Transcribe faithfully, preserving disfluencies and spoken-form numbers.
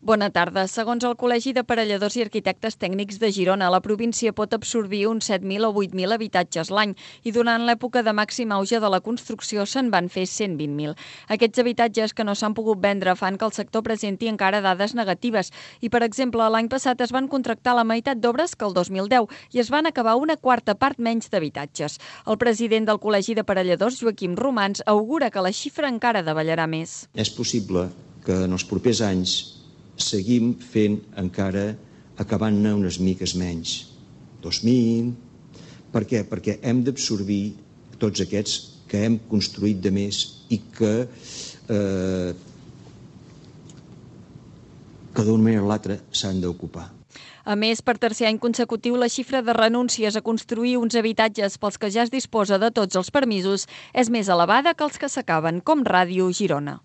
Bona tarda. Segons el Col·legi d'Aparelladors i Arquitectes Tècnics de Girona, la província pot absorbir uns set mil o vuit mil habitatges l'any i durant l'època de màxim auge de la construcció se'n van fer cent vint mil. Aquests habitatges que no s'han pogut vendre fan que el sector presenti encara dades negatives i, per exemple, l'any passat es van contractar la meitat d'obres que el dos mil deu i es van acabar una quarta part menys d'habitatges. El president del Col·legi d'Aparelladors, Joaquim Romans, augura que la xifra encara davallarà més. És possible que en els propers anys seguim fent encara, acabant-ne unes miques menys. dos mil... Per què? Perquè hem d'absorbir tots aquests que hem construït de més i que, eh, que d'una manera o l'altra s'han d'ocupar. A més, per tercer any consecutiu, la xifra de renúncies a construir uns habitatges pels que ja es disposa de tots els permisos és més elevada que els que s'acaben, com Ràdio Girona.